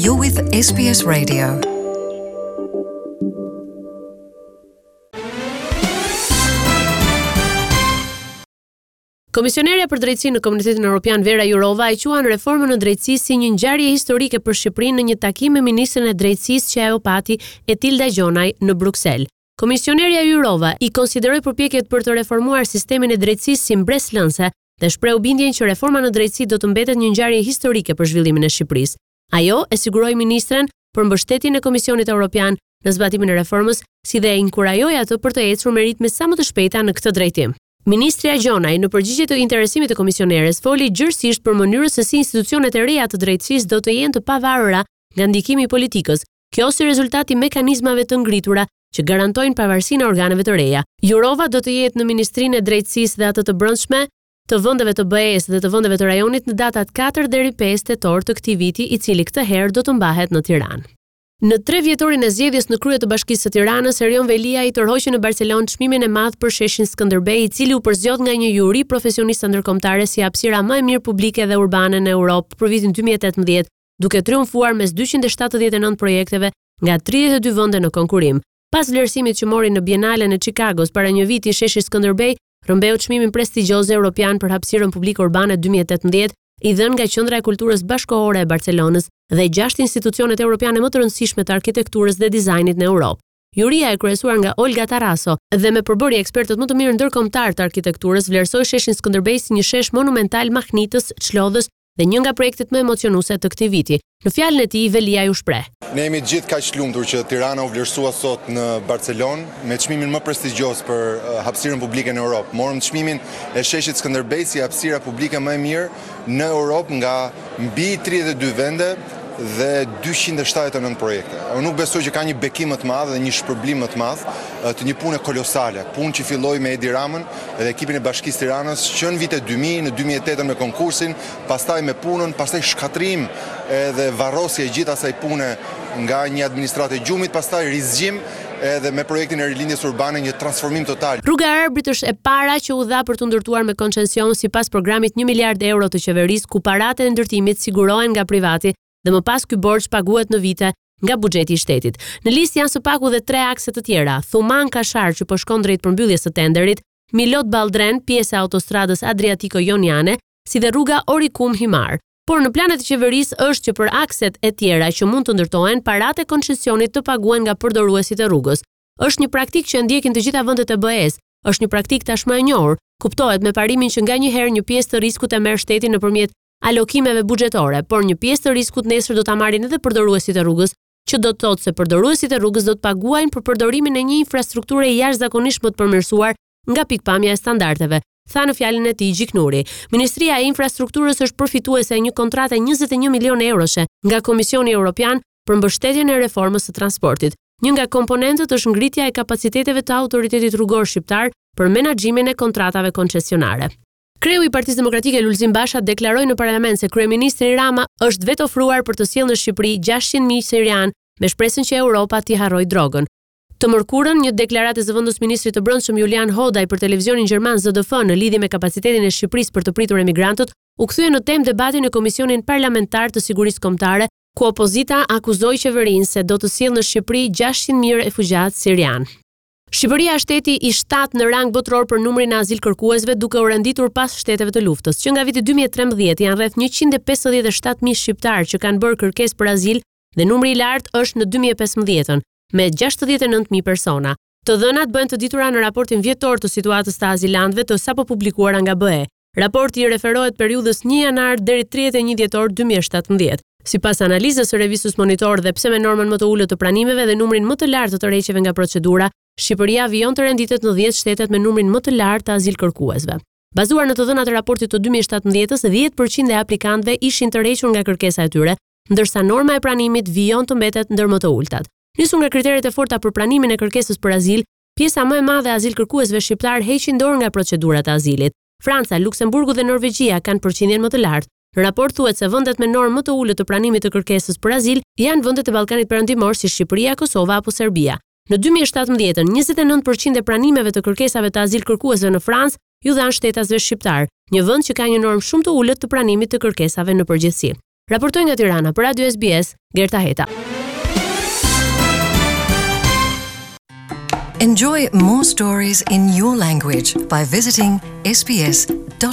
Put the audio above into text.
You're with SBS Radio. Komisionerja për Drejtësi në Komunitetin Europian Vera Jourova e quan reformën në drejtësi si një ngjarje historike për Shqipërinë në një takim me ministren e Drejtësisë që ajo pati Etilda Gjonaj në Bruksel. Komisionerja Jourova i konsideroi përpjekjet për të reformuar sistemin e drejtësisë si mbresëlënëse dhe shprehu bindjen që reforma në drejtësi do të mbetet një ngjarje historike për zhvillimin e Shqipërisë. Ajo e siguroi ministren për mbështetjen e Komisionit Europian në zbatimin e reformës, si dhe e inkurajoi atë për të ecur me ritme sa më të shpejta në këtë drejtim. Ministrja Gjonaj, në përgjigje të interesimit të komisioneres, foli gjerësisht për mënyrën se si institucionet e reja të drejtësisë do të jenë të pavarura nga ndikimi i politikës, Kjo si rezultat i mekanizmave të ngritura që garantojnë pavarësinë e organeve të reja. Jourova do të jetë në Ministrinë e Drejtësisë dhe atë të Brendshme të vendeve të BE-së dhe të vendeve të rajonit në datat 4 deri 5 tetor të këtij viti, i cili këtë herë do të mbahet në Tiranë. Në trevjetorin e zgjedhjes në krye të Bashkisë së Tiranës, Erion Veliaj tërhoqi në Barcelonë çmimin e madh për sheshin Skënderbej, i cili u përzgjodh nga një juri profesioniste ndërkombëtare si hapësira më e mirë publike dhe urbane në Europë për vitin 2018, duke triumfuar mes 279 projekteve nga 32 vende në konkurrim. Pas vlerësimit që mori në Bienalen e Chicagos para një viti, sheshi Skënderbej rrëmbeu çmimin prestigjioz europian për hapësirën publike urbane 2018, i dhënë nga Qendra e Kulturës Bashkëkohore e Barcelonës dhe gjashtë institucionet europiane më të rëndësishme të arkitekturës dhe dizajnit në Europë. Juria e kryesuar nga Olga Taraso dhe me përbërje ekspertët më të mirë ndërkombëtarë të arkitekturës vlerësoi sheshin Skënderbej si një shesh monumental mahnitës, çlodhës dhe një nga projektet më emocionuese të këtij viti. Në fjalën e tij, Veliaj u shpreh. Ne jemi të gjithë kaq të lumtur që Tirana u vlerësua sot në Barcelonë me çmimin më prestigjioz për hapësirën publike në Europë. Morëm çmimin e sheshit Skënderbej si hapësira publike më e mirë në Europë nga mbi 32 vende dhe 279 projekte. Unë nuk besoj që ka një bekim më të madh dhe një shpërblim më të madh të një pune kolosale, punë që filloi me Edi Ramën dhe ekipin e Bashkisë Tiranës që në vitet 2000, në 2008 me konkursin, pastaj me punën, pastaj shkatërrim edhe varrosje e gjithë asaj pune nga një administratë e gjumit, pastaj rizgjim edhe me projektin e rilindjes urbane një transformim total. Rruga e Arbrit është e para që u dha për t'u ndërtuar me koncension sipas programit 1 miliard euro të qeverisë ku paratë e ndërtimit sigurohen nga privati dhe më pas ky borxh paguhet në vite nga buxheti i shtetit. Në listë janë së paku dhe tre akse të tjera, Thumanë Kashar që po shkon drejt përmbylljes së tenderit, Milot Balldren, pjesë e autostradës Adriatiko-Joniane, si dhe rruga Orikum Himarë. Por në planet e qeverisë është që për akset e tjera që mund të ndërtohen, paratë e koncesionit të paguhen nga përdoruesit e rrugës. Është një praktikë që e ndjekin të gjitha vendet e BE-së, është një praktikë tashmë e njohur, kuptohet me parimin që nganjëherë një pjesë të riskut e merr shteti nëpërmjet alokimeve buxhetore, por një pjesë të riskut nesër do ta marrin edhe përdoruesit e rrugës, që do të thotë se përdoruesit e rrugës do të paguajnë për përdorimin e një infrastrukture jashtëzakonisht më të përmirësuar nga pikëpamja e standardeve, tha në fjalën e tij Gjiknuri. Ministria e Infrastrukturës është përfituese e një kontrate 21 milionë euroshe nga Komisioni Europian për mbështetjen e reformës së transportit. Një nga komponentët është ngritja e kapaciteteve të Autoritetit Rrugor Shqiptar për menaxhimin e kontratave koncesionare. Kreu i Partisë Demokratike Lulzim Basha deklaroi në parlament se kryeministri Rama është vetofruar për të sjellë në Shqipëri 600.000 sirianë me shpresën që Europa t'i harrojë drogën. Të mërkurën, një deklaratë e zëvendës ministrit të Brendshëm Julian Hodaj për televizionin gjerman ZDF në lidhje me kapacitetin e Shqipërisë për të pritur emigrantët, u kthye në temë debati në Komisionin Parlamentar të Sigurisë Kombëtare, ku opozita akuzoi qeverinë se do të sjellë në Shqipëri 600.000 refugjatë sirianë. Shqipëria është shteti i shtatë në rang botëror për numrin e azilkërkuesve, duke u renditur pas shteteve të luftës. Që nga viti 2013 janë rreth 157.000 shqiptarë që kanë bërë kërkesë për azil dhe numri i lartë është në 2015-ën, me 69.000 persona. Të dhënat bëhen të ditura në raportin vjetor të situatës të azilantëve të sapo publikuara nga BE. Raporti i referohet periudhës 1 janar deri 31 dhjetor 2017. Sipas analizës së revistës Monitor dhe pse me normën më të ulët të pranimeve dhe numrin më të lartë të tërheqjeve nga procedura, Shqipëria vijon të renditet në 10 shtetet me numrin më të lartë të azilkërkuesve. Bazuar në të dhënat e raportit të 2017-s, 10% e aplikantëve ishin tërhequr nga kërkesa e tyre, ndërsa norma e pranimit vijon të mbetet ndër më të ulëtat. Nisur nga kriteret e forta për pranimin e kërkesës për azil, pjesa më e madhe e azilkërkuesve shqiptarë heqin dorë nga procedurat e azilit. Franca, Luksemburgu dhe Norvegjia kanë përqindjen më të lartë. Në raport thuhet se vendet me normë më të ulët të pranimit të kërkesës për azil janë vendet e Ballkanit Perëndimor si Shqipëria, Kosova apo Serbia. Në 2017-ën, 29% e pranimeve të kërkesave të azilkërkuesve në Francë iu dhanë shtetasve shqiptarë, një vend që ka një normë shumë të ulët të pranimit të kërkesave në përgjithësi. Raportoi nga Tirana për Radio SBS, Gerta Heta. Enjoy more stories in your language by visiting sbs.com.au.